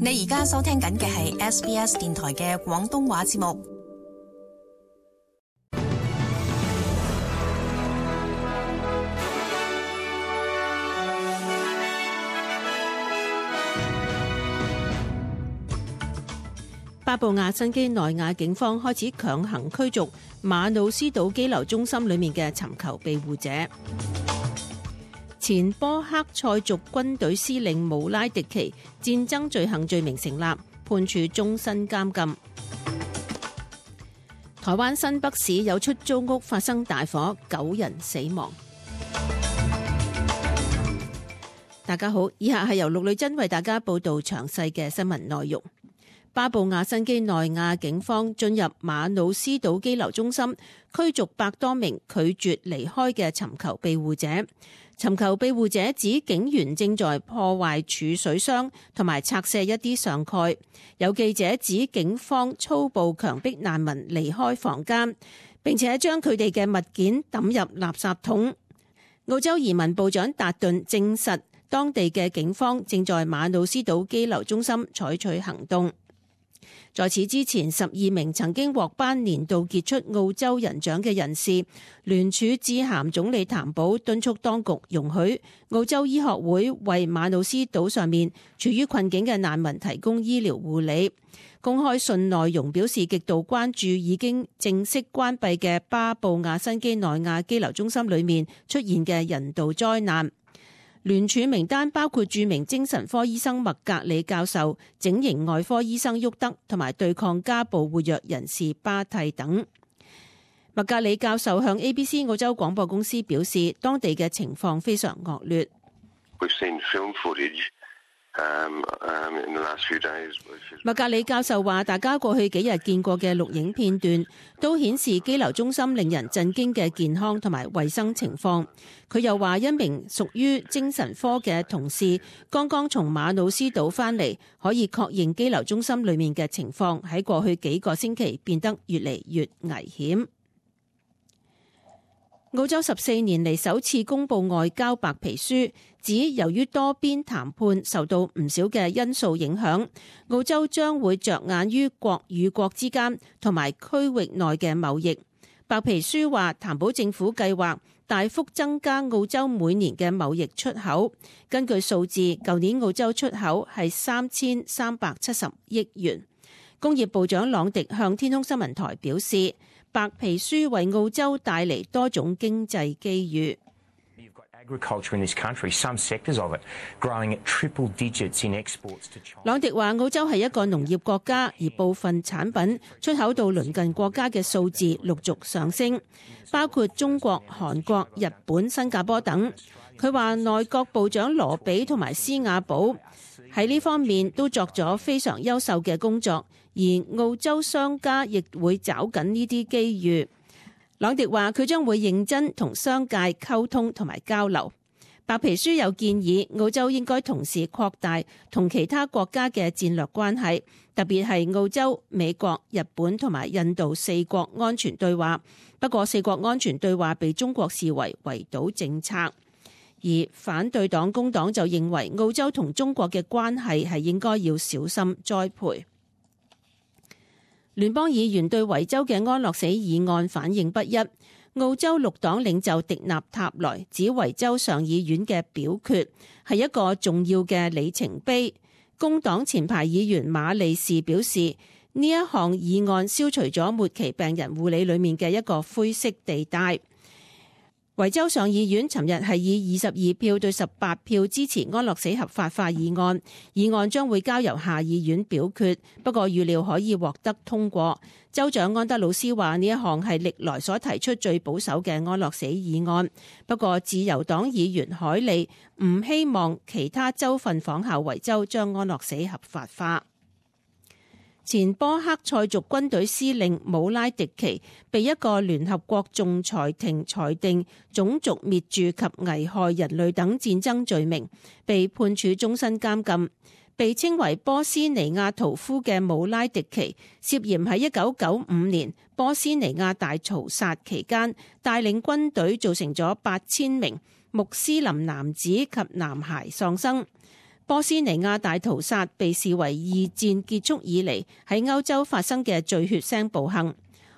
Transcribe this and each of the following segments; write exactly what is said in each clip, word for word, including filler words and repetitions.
你而家收聽緊嘅係 S B S 電台嘅廣東話節目。巴布亞新畿內亞警方開始強行驅逐馬努斯島羈留中心裏面嘅尋求庇護者。前波克塞族軍隊司令姆拉迪奇戰爭罪行罪名成立，判處終身監禁。台灣新北市有出租屋發生大火，九人死亡。大家好，以下係由陸女珍為大家報道詳細嘅新聞內容。巴布亞新畿內亞警方進入馬努斯島羈留中心，驅逐百多名拒絕離開嘅尋求庇護者。尋求庇護者指警員正在破壞儲水箱同埋拆卸一啲上蓋。有記者指警方粗暴強迫難民離開房間，並且將佢哋嘅物件抌入垃圾桶。澳洲移民部長達頓證實，當地嘅警方正在馬努斯島羈留中心採取行動。在此之前，十二名曾經獲頒年度傑出澳洲人獎嘅人士聯署致函總理譚寶，敦促當局容許澳洲醫學會為馬努斯島上面處於困境嘅難民提供醫療護理。公開信內容表示極度關注已經正式關閉嘅巴布亞新畿內亞羈留中心裏面出現嘅人道災難。聯署名單包括著名精神科醫生麥格里教授、整形外科醫生沃德同埋對抗家暴活躍人士巴蒂等。麥格里教授向 A B C 澳洲廣播公司表示，當地嘅情況非常惡劣。麥格里教授話，大家過去幾日見過嘅錄影片段都顯示羈留中心令人震驚嘅健康同埋衛生情況。佢又話，一名屬於精神科嘅同事剛剛從馬努斯島返嚟，可以確認羈留中心裏面嘅情況喺過去幾個星期變得越嚟越危險。澳洲十四年嚟首次公布外交白皮書，指由於多邊談判受到唔少嘅因素影響，澳洲將會着眼於國與國之間同埋區域內嘅貿易。白皮書話，譚寶政府計劃大幅增加澳洲每年嘅貿易出口。根據數字，舊年澳洲出口係三千三百七十億元。工業部長朗迪向天空新聞台表示，白皮書為澳洲帶嚟多種經濟機遇。朗迪話，澳洲係一個農業國家，而部分產品出口到鄰近國家嘅數字陸續上升，包括中國、韓國、日本、新加坡等。佢話內閣部長羅比同埋施瓦寶喺呢方面都作咗非常優秀嘅工作，而澳洲商家亦會找緊呢啲機遇。朗迪話佢將會認真同商界溝通同埋交流。白皮書有建議澳洲應該同時擴大同其他國家嘅戰略關係，特別係澳洲、美國、日本同埋印度四國安全對話。不過四國安全對話被中國視為圍堵政策，而反對黨工黨就認為澳洲同中國嘅關係係應該要小心栽培。聯邦議員對維州嘅安樂死議案反應不一。澳洲綠黨領袖迪納塔萊指維州上議院嘅表決係一個重要嘅里程碑。工黨前排議員馬利士表示，呢一項議案消除咗末期病人護理裏面嘅一個灰色地帶。維州上議院尋日係以二十二票對十八票支持安樂死合法化議案，議案將會交由下議院表決，不過預料可以獲得通過。州長安德魯斯話呢一項係歷來所提出最保守嘅安樂死議案，不過自由黨議員海利唔希望其他州份仿效維州將安樂死合法化。前波克塞族軍隊司令姆拉迪奇被一個聯合國仲裁庭裁定種族滅絕及危害人類等戰爭罪名，被判處終身監禁。被稱為波斯尼亞屠夫嘅姆拉迪奇涉嫌喺一九九五年波斯尼亞大屠殺期間帶領軍隊造成咗八千名穆斯林男子及男孩喪生。波斯尼亞大屠殺被視為二戰結束以嚟喺歐洲發生嘅最血腥暴行。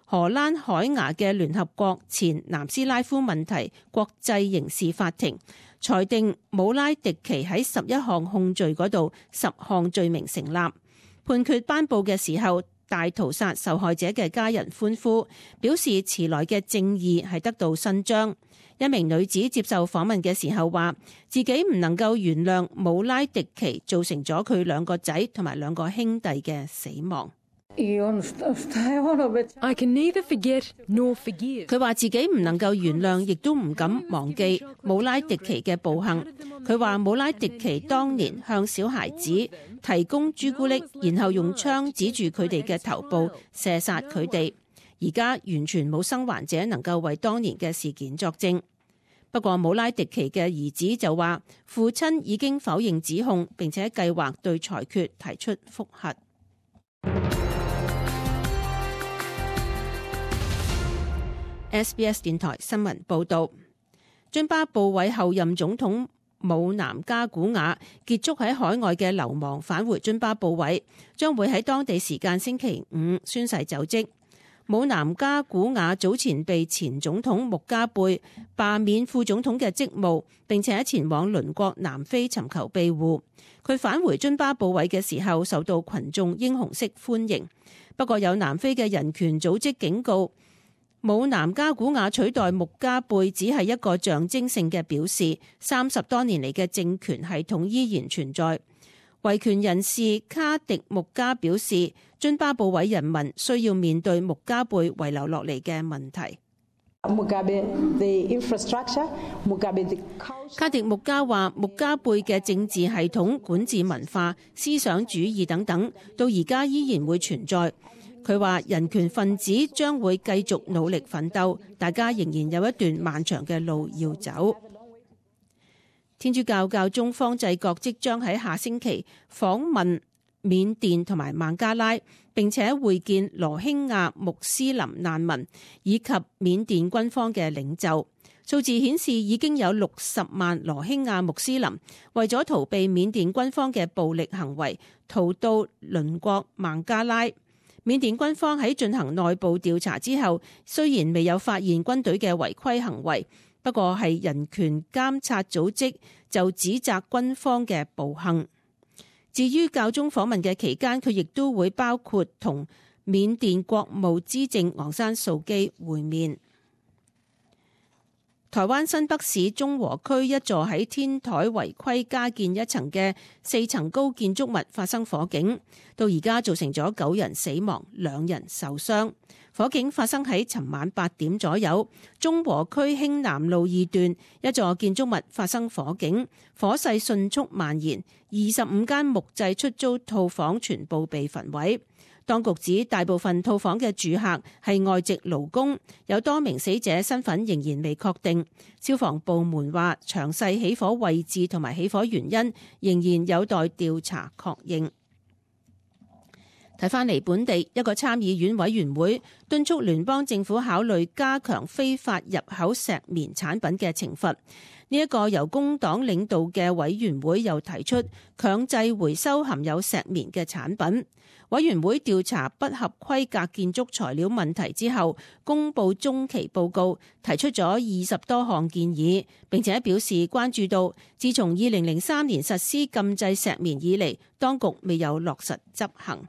荷蘭海牙嘅聯合國前南斯拉夫問題國際刑事法庭裁定姆拉迪奇喺十一項控罪嗰度十項罪名成立。判決頒布嘅時候，大屠殺受害者嘅家人歡呼，表示遲來嘅正義係得到伸張。一名女子接受訪問嘅時候話，自己唔能夠原諒姆拉迪奇造成咗佢兩個仔同埋兩個兄弟嘅死亡。I can neither forget nor forgive. 佢話自己唔能夠原諒，亦都唔敢忘記姆拉迪奇嘅暴行。佢話姆拉迪奇當年向小孩子提供朱古力，然後用槍指住佢哋嘅頭部射殺佢哋。而家完全冇生還者能夠為當年嘅事件作證。不過姆拉迪奇嘅兒子就話，父親已經否認指控，並且計劃對裁決提出覆核。S B S 電台新聞報道，津巴布韋後任總統姆南加古瓦結束喺海外嘅流亡，返回津巴布韋，將會喺當地時間星期五宣誓就職。姆南加古瓦早前被前總統穆加貝罷免副總統嘅職務，並且前往鄰國南非尋求庇護。佢返回津巴布韋嘅時候受到群眾英雄式歡迎。不過有南非嘅人權組織警告，姆南加古瓦取代穆加貝只係一個象徵性嘅表示，三十多年嚟嘅政權系統依然存在。維權人士卡迪穆加表示，津巴布韋人民需要面對穆加貝遺留落嚟嘅問題。卡迪穆加話，穆加貝嘅政治系統、管治文化、思想主義等等，到而家依然會存在。佢話人權分子將會繼續努力奮鬥，大家仍然有一段漫長嘅路要走。天主教教宗方濟各即將喺下星期訪問緬甸同埋孟加拉，並且會見羅興亞穆斯林難民以及緬甸軍方嘅領袖。數字顯示已經有六十萬羅興亞穆斯林為咗逃避緬甸軍方嘅暴力行為，逃到鄰國孟加拉。緬甸軍方喺進行內部調查之後，雖然未有發現軍隊嘅違規行為，不過係人權監察組織就指責軍方嘅暴行。至於教宗訪問嘅期間，佢亦都會包括同緬甸國務資政昂山素基會面。台灣新北市中和區一座喺天台違規加建一層嘅四層高建築物發生火警，到而家造成咗九人死亡，兩人受傷。火警發生喺尋晚八點左右，中和區興南路二段一座建築物發生火警，火勢迅速蔓延，二十五間木製出租套房全部被焚毀。當局指大部分套房嘅住客係外籍勞工，有多名死者身份仍然未確定。消防部門話，詳細起火位置同埋起火原因仍然有待調查確認。睇返嚟本地，一個參議院委員會敦促聯邦政府考慮加強非法入口石棉產品嘅懲罰。呢一個由工黨領導嘅委員會又提出強制回收含有石棉嘅產品。委員會調查不合規格建築材料問題之後，公布中期報告，提出咗二十多項建議，並且表示關注到自從二零零三年實施禁制石棉以嚟，當局未有落實執行。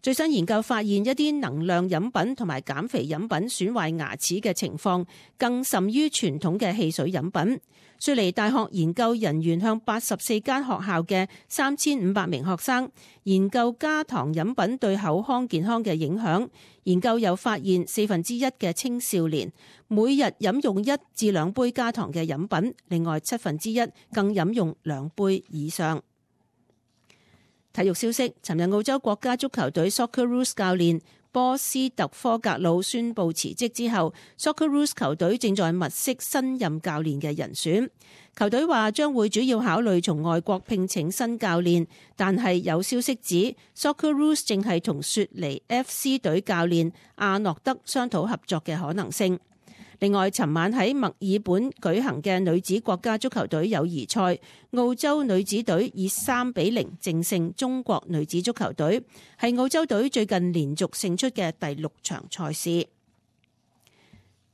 最新研究發現，一啲能量飲品同埋減肥飲品損壞牙齒嘅情況更甚於傳統嘅汽水飲品。雪梨大學研究人員向八十四間學校嘅三千五百名學生研究加糖飲品對口腔健康嘅影響。研究又發現，四分之一嘅青少年每日飲用一至兩杯加糖嘅飲品，另外七分之一更飲用兩杯以上。體育消息，尋日澳洲國家足球隊 Socceroos 教練波斯特科格魯宣布辭職之後， Socceroos 球隊正在物色新任教練嘅人選。球隊話將會主要考慮從外國聘請新教練，但係有消息指 Socceroos 正係同雪梨 F C 隊教練阿諾德商討合作嘅可能性。另外，尋晚喺墨爾本舉行嘅女子國家足球隊友誼賽，澳洲女子隊以三比零淨勝中國女子足球隊，係澳洲隊最近連續勝出嘅第六場賽事。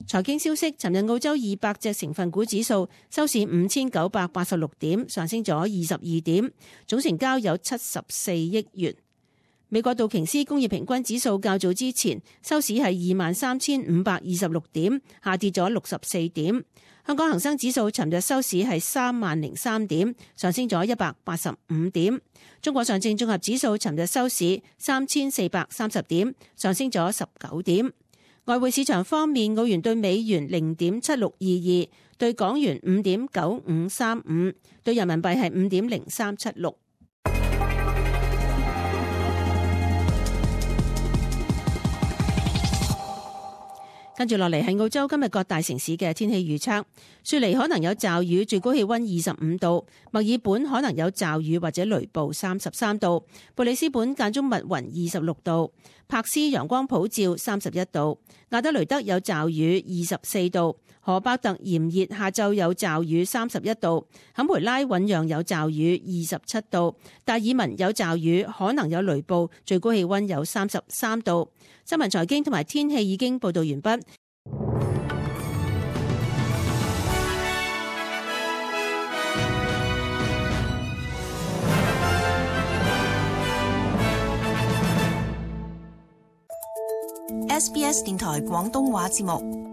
財經消息，尋日澳洲二百隻成分股指數收市五千九百八十六點，上升咗二十二點，總成交有七十四億元。美國道瓊斯工業平均指數較早之前收市係二萬三千五百二十六點，下跌咗六十四點。香港恒生指數尋日收市係三萬零三點，上升咗一百八十五點。中國上證綜合指數尋日收市三千四百三十點，上升咗十九點。外匯市場方面，澳元對美元零點七六二二，對港元五點九五三五，對人民幣係五點零三七六。跟住落嚟係澳洲今日各大城市嘅天氣預測。雪梨可能有驟雨，最高氣溫二十五度；墨爾本可能有驟雨或者雷暴，三十三度；布里斯本間中密雲，二十六度；柏斯陽光普照，三十一度；亞德雷德有驟雨，二十四度；荷伯特炎熱，下晝有驟雨，三十一度；坎培拉醞釀有驟雨，二十七度；達爾文有驟雨，可能有雷暴，最高氣溫有三十三度。新聞財經同埋天氣已經報道完畢。S B S 電台廣東話節目